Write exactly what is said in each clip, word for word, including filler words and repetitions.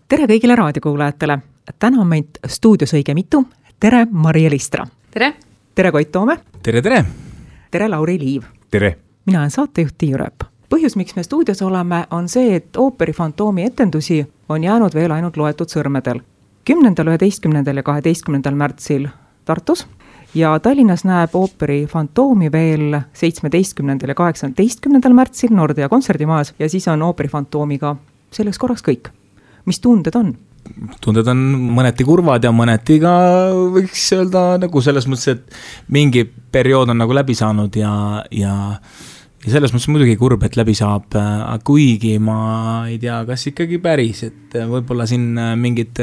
tere kõigile raadiokuulajatele. Täna on meid stuudios õige mitu. Tere Maria Listra. Tere. Tere Koit Toome. Tere, tere. Tere Lauri Liiv. Tere. Mina olen saatejuht Tiiu Rööp. Põhjus, miks me stuudios oleme, on see, et ooperi Fantoomi etendusi on jäänud veel ainult loetud sõrmedel. kümnendal, üheteistkümnendal ja kaheteistkümnendal märtsil Tartus ja Tallinnas näeb ooperi Fantoomi veel seitsmeteistkümnendal ja kaheksateistkümnendal märtsil Nordea kontserdimajas ja siis on ooperi Fantoomiga selleks korraks kõik. Mis tunded on? Tunded on mõneti kurvad ja mõneti ka võiks öelda nagu selles mõttes, et mingi periood on nagu läbi saanud ja, ja, ja selles mõttes muidugi kurb, et läbi saab, kuigi ma ei tea, kas ikkagi päris, et võib-olla siin mingid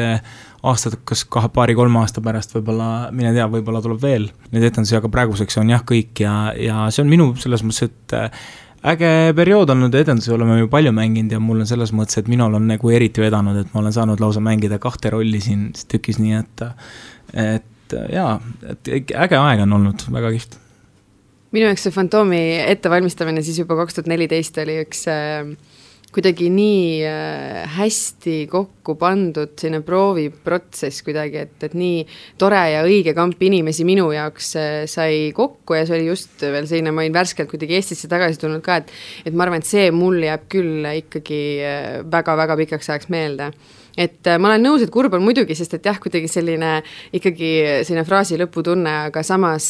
aastad, kas kahe paari kolme aasta pärast võib-olla, mine tea, võib-olla tuleb veel. Need etendusi, aga praeguseks on jah kõik ja, ja see on minu selles mõttes, et äge periood olnud etendusi, oleme ju palju mänginud ja mul on selles mõttes, et minul on nagu eriti vedanud, et ma olen saanud lausa mängida kahte rolli siin tükis, nii et, et jaa, et äge aeg on olnud, väga kiht. Minu jaoks see Fantoomi ettevalmistamine siis juba kaks tuhat neliteist oli üks äh, kuidagi nii äh, hästi kokku pandud sinne prooviprotsess kuidagi, et, et nii tore ja õige kamp inimesi minu jaoks äh, sai kokku ja see oli just veel selline, ma olin värskelt kuidagi Eestisse tagasi tulnud ka, et, et ma arvan, et see mul jääb küll ikkagi väga-väga äh, pikaks ajaks meelde. Et ma olen nõus, et kurb on muidugi, sest et jah, kuidagi selline ikkagi selline fraasi lõputunne, aga samas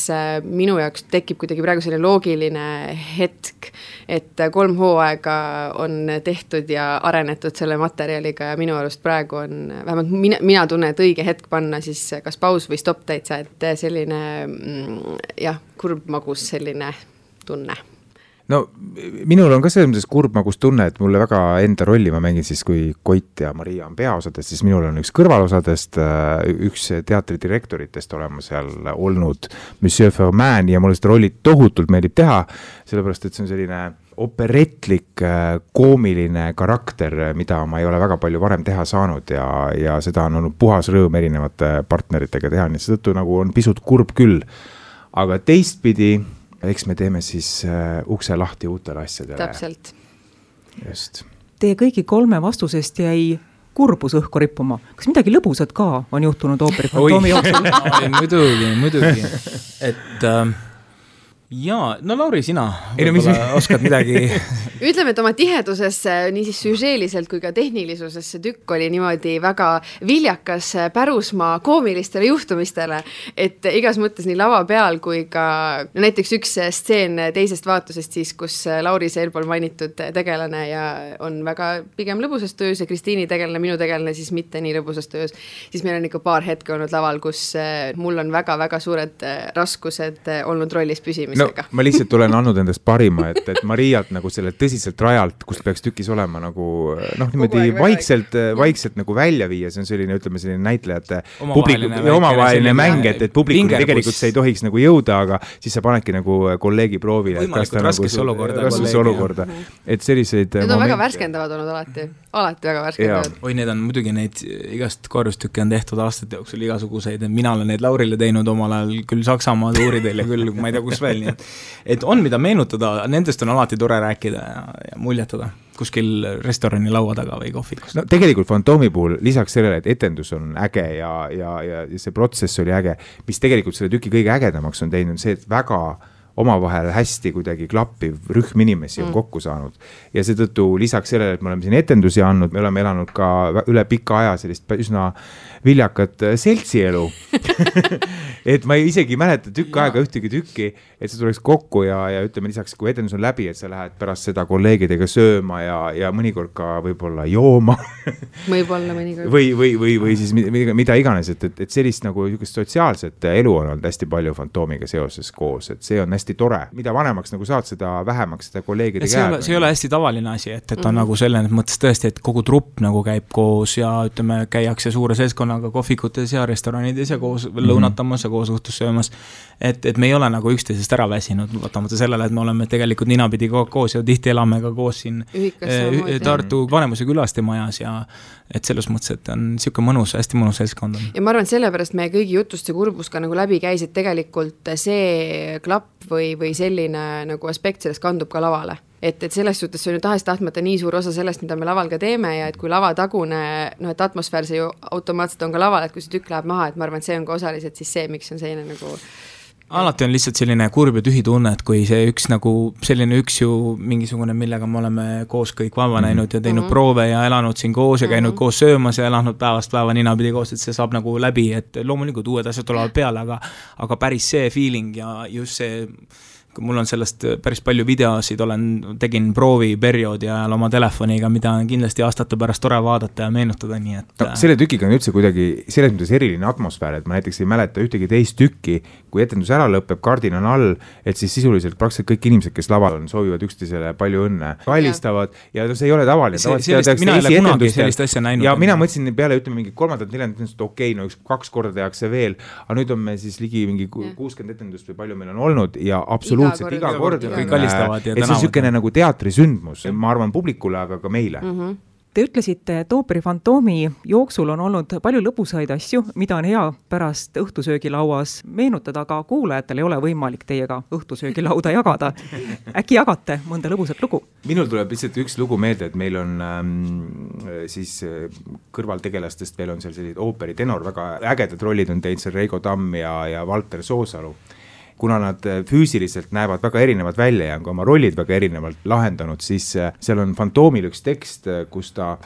minu jaoks tekib kuidagi praegu selline loogiline hetk, et kolm hooaega on tehtud ja arenetud selle materjaliga ja minu arust praegu on, vähemalt mina, mina tunnen, et õige hetk panna siis kas paus või stopp täitsa, et selline jah, kurb magus selline tunne. No minul on ka selles mõttes kurb magus tunne, et mulle väga enda rolli ma mängin siis, kui Koit ja Maria on peaosadest, siis minul on üks kõrvalosadest, üks teatridirektoritest olema seal olnud Monsieur Ferman ja mulle seda rolli tohutult meeldib teha, sellepärast, et see on selline operetlik, koomiline karakter, mida ma ei ole väga palju varem teha saanud ja, ja seda on olnud puhas rõõm erinevate partneritega teha, nii seetõttu nagu on pisut kurb küll, aga teistpidi eks me teeme siis uh, ukse lahti uutele asjadele. Täpselt. Just. Teie kõigi kolme vastusest jäi kurbus õhku rippuma. Kas midagi lõbusat ka on juhtunud ooperi Fantoomi jooksul? muidugi, muidugi. Et äh, jaa, no Lauri, sina ei, no, mis... oskad midagi... Ütleme, et oma tiheduses nii siis süžeeliselt kui ka tehnilisuses see tükk oli niimoodi väga viljakas pärusmaa koomilistele juhtumistele, et igas mõttes nii lava peal kui ka no näiteks üks stseen teisest vaatusest siis, kus Lauri see eelpool mainitud tegelane ja on väga pigem lõbusas töös ja Kristiini tegelane, minu tegelane siis mitte nii lõbusas töös, siis meil on ikka paar hetke olnud laval, kus mul on väga-väga suured raskused olnud rollis püsimisega. No, ma lihtsalt olen andnud endast parima, et, et Mariat nagu selle tõsiselt rajalt, kus peaks tükis olema nagu noh, niimoodi vaikselt, vaikselt nagu välja viia, see on selline, ütleme, selline näitlejate omavaheline mäng, et, et publikul tegelikult see ei tohiks nagu jõuda, aga siis sa panedki nagu kolleegi proovile. Võimalikult raskes nagu, olukorda. Raskes olukorda. Et selliseid... Need on momente... väga värskendavad olnud alati. Alati väga värskendavad. Oi, need on muidugi neid igast korrustükke on tehtud aastate jooksul igasuguseid. Mina olen neid Laurile teinud omal ajal küll Saksamaa tuuridel ja küll ma ei tea, kus veel. Nii, et, et on mida meenutada, nendest on alati tore rääkida ja, ja muljetada kuskil restorani laua taga või kohvikus. No tegelikult Fantoomi puhul lisaks sellele, et etendus on äge ja, ja, ja see protsess oli äge, mis tegelikult selle tüki kõige ägedamaks on teinud, see, et väga omavahel hästi kuidagi klappiv rühm inimesi on mm. kokku saanud. Ja seetõttu lisaks sellele, et me oleme siin etendusi andnud, me oleme elanud ka üle pika aja sellist üsna viljakat seltsielu. Et ma isegi mäleta tükk aega ühtegi tükki, et see tuleks kokku ja, ja ütleme lisaks, kui etendus on läbi, et sa lähed pärast seda kolleegidega sööma ja, ja mõnikord ka võib-olla jooma. Võib-olla mõnikord. Või, või, või, või siis mida, mida iganes, et, et, et sellist nagu sotsiaalset elu on olnud hästi palju Fantoomiga seoses koos, et see on hästi tore. Mida vanemaks nagu saad, seda vähemaks seda kolleegide see käed. See ei ole hästi tavaline asi, et, et on mm-hmm. nagu selles mõttes tõesti, et kogu trupp nagu käib koos ja ütleme, käiakse suure seltskonnaga kohvikutes ja restoranides ja koos mm-hmm. lõunatamas ja koos õhtus söömas. Et, et me ei ole nagu üksteisest ära väsinud, võtamata sellele, et me oleme tegelikult ninapidi koos ja tihti elame ka koos siin eh, Tartu Vanemuise külaste majas ja et selles mõttes, et on siuke mõnus, hästi mõnus seltskond. Ja ma arvan, et sellepärast meie kõigi jutust ja kurbus ka nagu läbi käis, et tegelikult see klapp või, või selline nagu aspekt sellest kandub ka lavale. et, et selles suhtes see on ju tahes-tahtmata nii suur osa sellest, mida me laval ka teeme ja et kui lava tagune, noh, et atmosfäär see ju automaatselt on ka laval, et kui see tükk läheb maha, et ma arvan, et see on ka osaliselt siis see, miks on selline nagu alati on lihtsalt selline kurb ja tühi tunne, et kui see üks nagu selline üks ju mingisugune, millega me oleme koos kõik vaba näinud ja teinud mm -hmm. proove ja elanud siin koos ja käinud mm -hmm. koos söömas ja elanud päevast päeva ninapidi koos, et see saab nagu läbi, et loomulikult uued asjad tulevad peale, aga, aga päris see feeling ja just see, mul on sellest päris palju videosid, olen, tegin proovi perioodi ajal oma telefoniga, mida on kindlasti aastate pärast tore vaadata ja meenutada, nii et no, selle tükiga on üldse kuidagi selles mõttes eriline atmosfäär, et ma näiteks ei mäleta ühtegi teist tükki, kui etendus ära lõpeb, kardin on all, et siis sisuliselt praktiliselt kõik inimesed, kes laval on, soovivad üksteisele palju õnne, kallistavad ja, ja see ei ole tavaline. See, sellist, mina ei ole kunagi sellist asja näinud. Ja mina mõtlesin peale, ütleme mingi kolmandat, neljandat, et okei, okay, no üks, kaks korda tehakse veel, aga nüüd on me siis ligi mingi kuuskümmend etendust või palju meil on olnud ja absoluutselt iga kord, kõik kallistavad ja et see on sükene nagu teatrisündmus, ma arvan publikule, aga ka meile. Mm -hmm. Te ütlesite, et Ooperi Fantoomi jooksul on olnud palju lõbusaid asju, mida on hea pärast õhtusöögilauas meenutada, aga kuulajatel ei ole võimalik teiega õhtusöögilauda jagada. Äkki jagate mõnda lõbusat lugu? Minul tuleb lihtsalt üks lugu meelde, et meil on ähm, siis kõrvaltegelastest veel on seal sellised ooperi tenor, väga ägedad rollid on teinud seal Reigo Tamm ja, ja Valter Soosalu. Kuna nad füüsiliselt näevad väga erinevad välja ja on ka oma rollid väga erinevalt lahendanud, siis seal on Fantoomil üks tekst, kus ta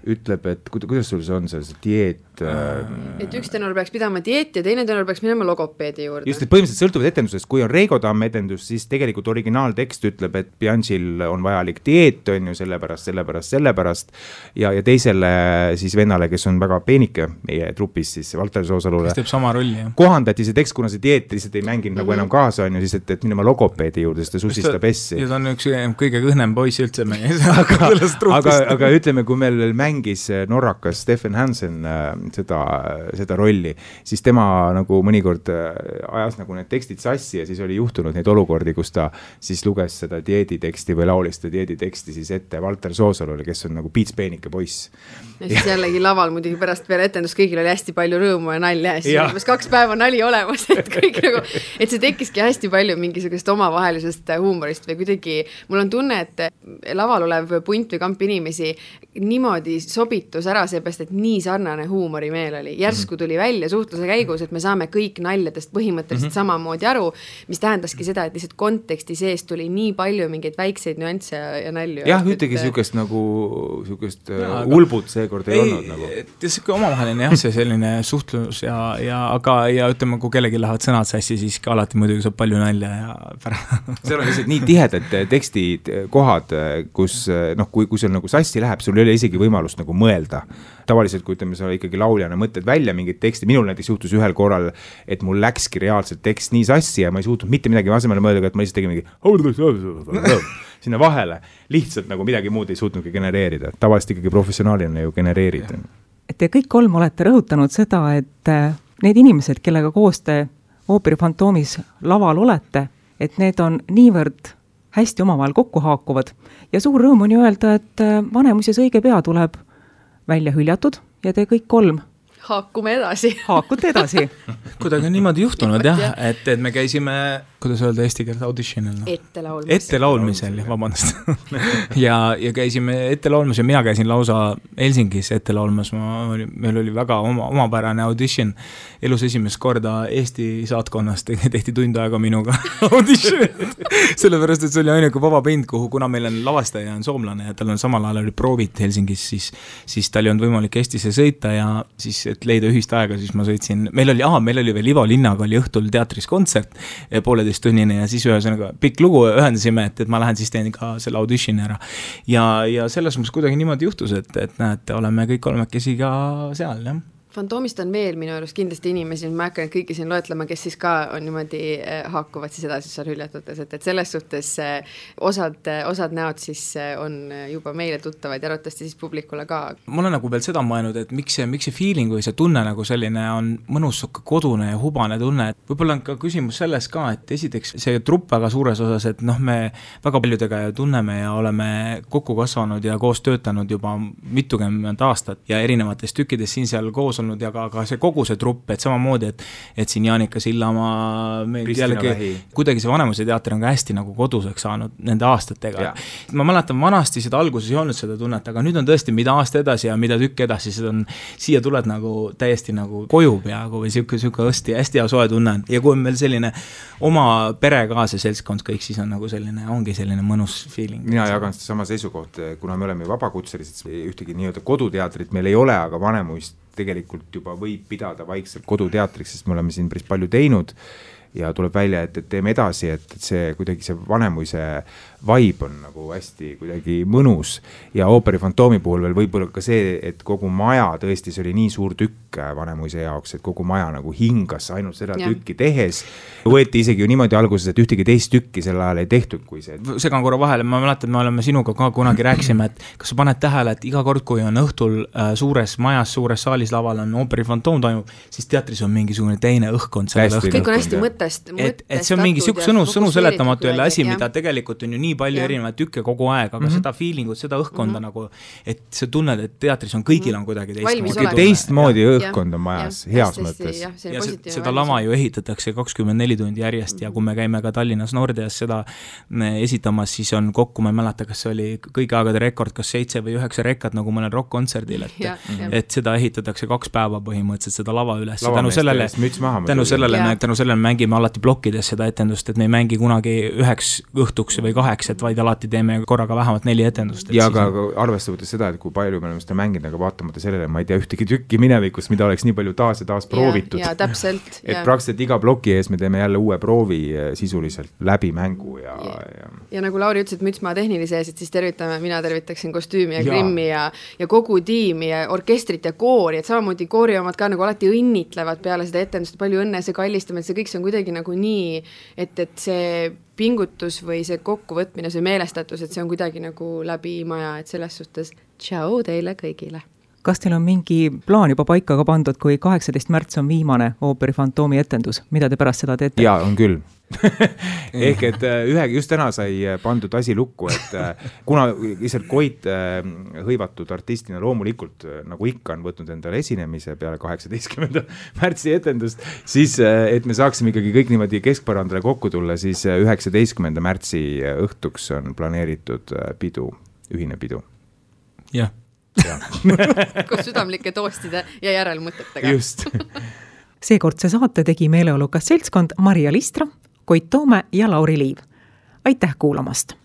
ütleb, et kuidas sul see on see, see dieet? Et üks tenor peaks pidama dieeti ja teine tenor peaks minema logopeedi juurde. Just, et põhimõtteliselt sõltuvad etendusest, kui on Reigo Tamm etendus, siis tegelikult originaaltekst ütleb, et Bianchil on vajalik dieet, on ju, sellepärast, sellepärast, sellepärast ja, ja teisele siis vennale, kes on väga peenike meie trupis, siis Valter Soosalule. Kes teeb sama rolli, jah. Kohandati see tekst, kuna see dieet lihtsalt ei mänginud mm -hmm. nagu enam kaasa, on ju, siis et, et minema logopeedi juurde, sest ta susistab essi. Ja ta on üks kõige kõhnem poiss üldse meie. aga, aga, aga ütleme, kui meil mängis norrakas Stefan Hansen seda, seda rolli, siis tema nagu mõnikord ajas nagu need tekstid sassi ja siis oli juhtunud neid olukordi, kus ta siis luges seda dieediteksti või laulis seda dieediteksti siis ette Valter Soosalule, kes on nagu piitspeenike poiss. Ja siis jällegi laval muidugi pärast peale etendust kõigil oli hästi palju rõõmu ja nalja ja siis ja. Umbes kaks päeva nali olemas, et kõik nagu, et see tekkiski hästi palju mingisugust omavahelisest huumorist või kuidagi, mul on tunne, et laval olev punt või kamp inimesi niimoodi sobitus ära seepärast, et nii sarnane huumorimeel oli. Järsku tuli välja suhtluse käigus, et me saame kõik naljadest põhimõtteliselt mm -hmm. samamoodi aru, mis tähendaski seda, et lihtsalt konteksti sees tuli nii palju mingeid väikseid nüansse ja, ja nalju. Jah, ühtegi sükest nagu sükest ja, ulbut seekord ei, ei olnud nagu. Et siuke omavaheline jah, see selline suhtlus ja, ja aga ja ütleme, kui kellegi lähevad sõnad sassi, siis ka alati muidugi saab palju nalja ja seal on lihtsalt nii tihedad tekstid, kohad, kus noh, kui, kui sul nagu sassi läheb, sul ei ole isegi võimalust nagu mõelda. Tavaliselt, kui ütleme, sa ikkagi lauljana mõtled välja mingit teksti, minul näiteks juhtus ühel korral, et mul läkski reaalselt tekst nii sassi ja ma ei suutnud mitte midagi asemele mõelda, et ma lihtsalt tegin mingi sinna vahele, lihtsalt nagu midagi muud ei suutnudki genereerida. Tavaliselt ikkagi professionaalina ju genereerida. Et te kõik kolm olete rõhutanud seda, et need inimesed, kellega koos te Ooperi Fantoomis laval olete, et need on niivõrd hästi omavahel kokku haakuvad ja suur rõõm on ju öelda, et Vanemuises õige pea tuleb välja hüljatud ja te kõik kolm haakume edasi. Haakute edasi. Kuidagi on niimoodi juhtunud jah, et, et me käisime, kuidas öelda eesti keelt auditionil no?? Ette laulmisel. Ette laulmisel, vabandust. ja, ja käisime ette laulmas ja mina käisin lausa Helsingis ette laulmas, ma, meil oli väga oma, omapärane audition. Elus esimest korda Eesti saatkonnast tehti tund aega minuga audition. Sellepärast, et see oli ainuke vaba pind, kuhu, kuna meil on lavastaja on soomlane ja tal on samal ajal oli proovid Helsingis, siis, siis tal ei olnud võimalik Eestisse sõita ja siis et leida ühist aega, siis ma sõitsin, meil oli, aha, meil oli veel Ivo Linnaga oli õhtul teatris kontsert, pooleteist tunnine ja siis ühesõnaga pikk lugu ühendasime, et, et ma lähen siis teen ka selle auditioni ära. Ja, ja selles mõttes kuidagi niimoodi juhtus, et, et näete, oleme kõik kolmekesi ka seal, jah. Fantoomist on veel minu arust kindlasti inimesi, ma hakkan kõiki siin loetlema, kes siis ka on niimoodi haakuvad siis edasi seal hüljatutes, et, et selles suhtes osad, osad näod siis on juba meile tuttavad ja arvatavasti siis publikule ka. Ma olen nagu veel seda mõelnud, et miks see, miks see feeling või see tunne nagu selline on mõnus kodune ja hubane tunne, et võib-olla on ka küsimus selles ka, et esiteks see trupp väga suures osas, et noh, me väga paljudega ja tunneme ja oleme kokku kasvanud ja koos töötanud juba mitukümmend aastat ja erinevates tükkides siin seal koos tulnud ja ka, ka see kogu see trupp, et samamoodi, et et siin Jaanika Sillamaa, jällegi, kuidagi see Vanemuise teater on ka hästi nagu koduseks saanud nende aastatega. Ma mäletan, vanasti seda alguses ei olnud seda tunnet, aga nüüd on tõesti, mida aasta edasi ja mida tükk edasi, seda on, siia tuled nagu täiesti nagu koju peaaegu või siuke, siuke hästi, hästi hea soe tunne. Ja kui on meil selline oma pere ka see seltskond kõik, siis on nagu selline, ongi selline mõnus feeling. Mina jagan seda sama seisukoht, kuna me oleme vabakutselised, ühtegi nii-öelda koduteatrit meil ei ole, aga Vanemuist tegelikult juba võib pidada vaikselt koduteatriks, sest me oleme siin päris palju teinud ja tuleb välja, et, et teeme edasi, et, et see kuidagi see Vanemuise vibe on nagu hästi kuidagi mõnus ja Ooperi Fantoomi puhul veel võib-olla ka see, et kogu maja tõesti, see oli nii suur tükk Vanemuise jaoks, et kogu maja nagu hingas ainult seda ja. Tükki tehes. Võeti isegi ju niimoodi alguses, et ühtegi teist tükki sel ajal ei tehtud, kui see. Segan korra vahele, ma mäletan, me oleme sinuga ka kunagi rääkisime, et kas sa paned tähele, et iga kord, kui on õhtul suures majas, suures saalis laval on Ooperi Fantoom toimub, siis teatris on mingisugune teine õhkkond. Kõik on hästi mõttest. Et, et see on mingi siuk sõnu, sõnu seletamatu jälle asi, mida tegelikult on ju nii palju ja. Erinevaid tükke kogu aeg, aga mm -hmm. seda feelingut, seda õhkkonda mm -hmm. nagu, et sa tunned, et teatris on kõigil on kuidagi teistmoodi. Teistmoodi õhkkond on majas, ja. Heas mõttes. Ja, ja seda lava ju ehitatakse kakskümmend neli tundi järjest ja kui me käime ka Tallinnas Nordeas seda esitamas, siis on kokku, ma ei mäleta, kas see oli kõigi aegade rekord, kas seitse või üheksa rekad nagu mõnel rock-kontserdil, et, ja, ja. et seda ehitatakse kaks päeva põhimõtteliselt seda lava üles. Tänu sellele, tänu sellele, me, tänu sellele mängime alati plokkides seda etendust, et me ei mängi kunagi üheks õhtuks või kaheks, et vaid alati teeme korraga vähemalt neli etendust. Ja aga arvesta võttes seda, et kui palju me oleme seda mänginud, aga vaatamata sellele, ma ei tea ühtegi tükki minevikus, mida oleks nii palju taas ja taas proovitud. Ja, ja täpselt. et ja. Praktiliselt iga ploki ees me teeme jälle uue proovi sisuliselt läbi mängu. Ja, ja. ja. ja nagu Lauri ütles, et mütsmaa tehnilise ees, et siis tervitame, mina tervitaksin kostüümi ja, ja. Grimmi ja, ja kogu tiimi ja orkestrit ja koori, et samamoodi koori omad ka nagu alati õnnitlevad peale seda etendust, palju õnne, see kallistamine, see kõik see on kuidagi nagu nii, et, et see pingutus või see kokkuvõtmine, see meelestatus, et see on kuidagi nagu läbi maja, et selles suhtes tšau teile kõigile. Kas teil on mingi plaan juba paika ka pandud, kui kaheksateist märts on viimane Ooperi Fantoomi etendus, mida te pärast seda teete? Jaa, on küll. Ehk et ühe, just täna sai pandud asi lukku, et kuna lihtsalt Koit hõivatud artistina loomulikult, nagu ikka on võtnud endale esinemise peale kaheksateistkümnenda märtsi etendust, siis et me saaksime ikkagi kõik niimoodi keskpõrandale kokku tulla, siis üheksateistkümnenda märtsi õhtuks on planeeritud pidu, ühine pidu. Jah. Kus südamlike toostide ja järelmõtetega. Just. Seekordse saate tegi meeleolukas seltskond Maria Listra, Koit Toome ja Lauri Liiv. Aitäh kuulamast!